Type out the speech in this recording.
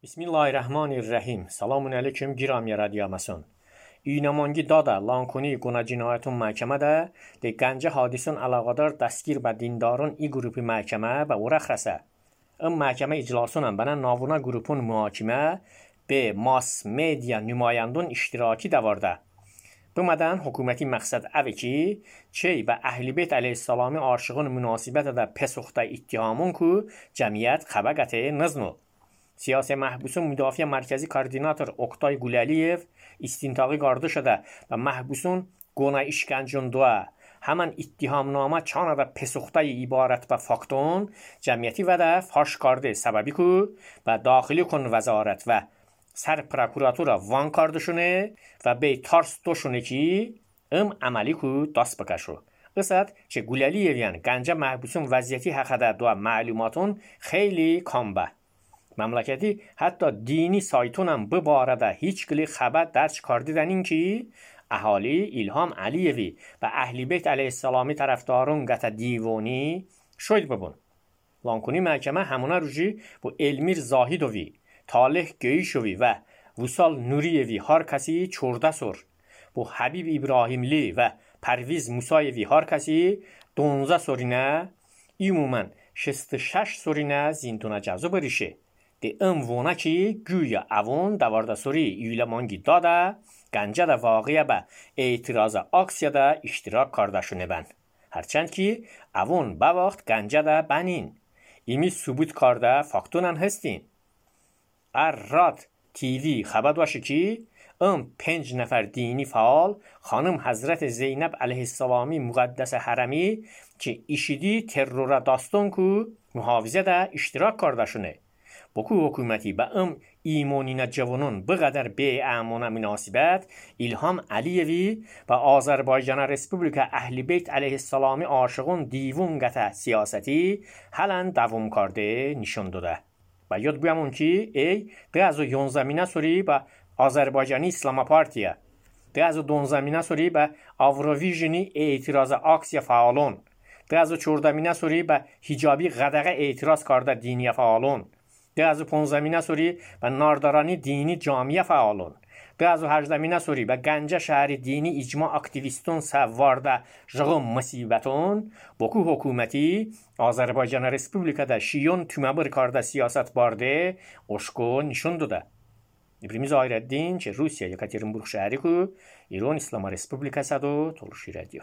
Bismillahirrahmanirrahim. Selamun aleyküm giramiya radiyamason. İynamangi dada lankuni guna cinayetun mahkemede de gence hadisun alaqadar dastgir به دیندارون ای گروپی محکمه به او رخصه. ام محکمه اجلاسونم بنا ناونا گروپون محاکمه به ماس میدیا نمایندون اشتراکی دوارده. بمدن حکومتی مقصد اوه کی چی به اهل بیت علیه السلام عاشقون مناسبت ده پسخته اتهامون کو جمعیت خبگته نزنو. سیاسی محبوسون مدافع مرکزی کاردیناتور اوکتای گولالیف استینتاقی گارده شده و محبوسون گونه اشکنجون دوه همان اتهامنامه چانه و پسخته عبارت به فاکتون جمعیتی و ده فاش کرده سببی کو و داخلی کن وزارت و سر پراکوراتور وان کاردشونه و به تارس دوشونه کی عملی کو دست بکشو. قصد چه گولالیفیان گنجه محبوسون وضعیتی حقیقت دو معلوماتون خیلی کامبه. مملکتی حتی دینی سایتون هم ببارده هیچ کلی خبر درچ کردیدن این که اهالی الهام علیوی و اهلی بیت علیه السلامی طرفدارون گتا دیوانی شوید ببون. لانکونی محکمه همونه روژی با علمیر زاهیدوی، طالح گیشوی و وصال نوریوی هر کسی چورده سر با حبیب ابراهیملی و پرویز موسایوی هر کسی 12 سرینه ایمومن 66 سرینه زیندونه جزو بریشه. ده وونه که گویا اوون دوارده سوری ایلمانگی داده گنجه ده واقعه به اعتراض آکسیا ده اشتراک کردشونه بند. هرچند که اوون با وقت گنجه ده بنین. ایمی ثبوت کرده فاکتونن هستین. رات تیوی خبر باشه که 5 نفر دینی فعال خانم حضرت زینب علیه السلامی مقدس حرمی که ایشیدی ترور داستان کو محافظه ده اشتراک کردشونه. بکو حکومتی با ایمانین جوانون بقدر به اعمانه مناسبت الهام علیوی و آذربایجان رسپوبلیک اهل بیت علیه السلام عاشقون دیوون گته سیاستی حالا دوام کرده نشون داده. و یاد بیامون که ای ده از 11 سوری با آذربایجانی اسلام پارتیه ده از 12 سوری با آوروویژنی اعتراض آکسیا فعالون ده از 14 سوری با حجابی غدغه اعتراض کرده دینی فعالون ده از 15 سوری با ناردارانی دینی جامعه فعالون ده از 18 سوری با گنجه شهر دینی اجماع اکتیویستون سوارده جغم مصیبتون بکو حکومتی آذربایجان رسپوبلیک ده شیون تومبر کرده سیاست بارده اشکو نشون داده. ابراهیم ظاهرالدین چه روسیه یکاترینبورگ شهری کو ایران اسلام رسپوبلیک است و تولشی رادیو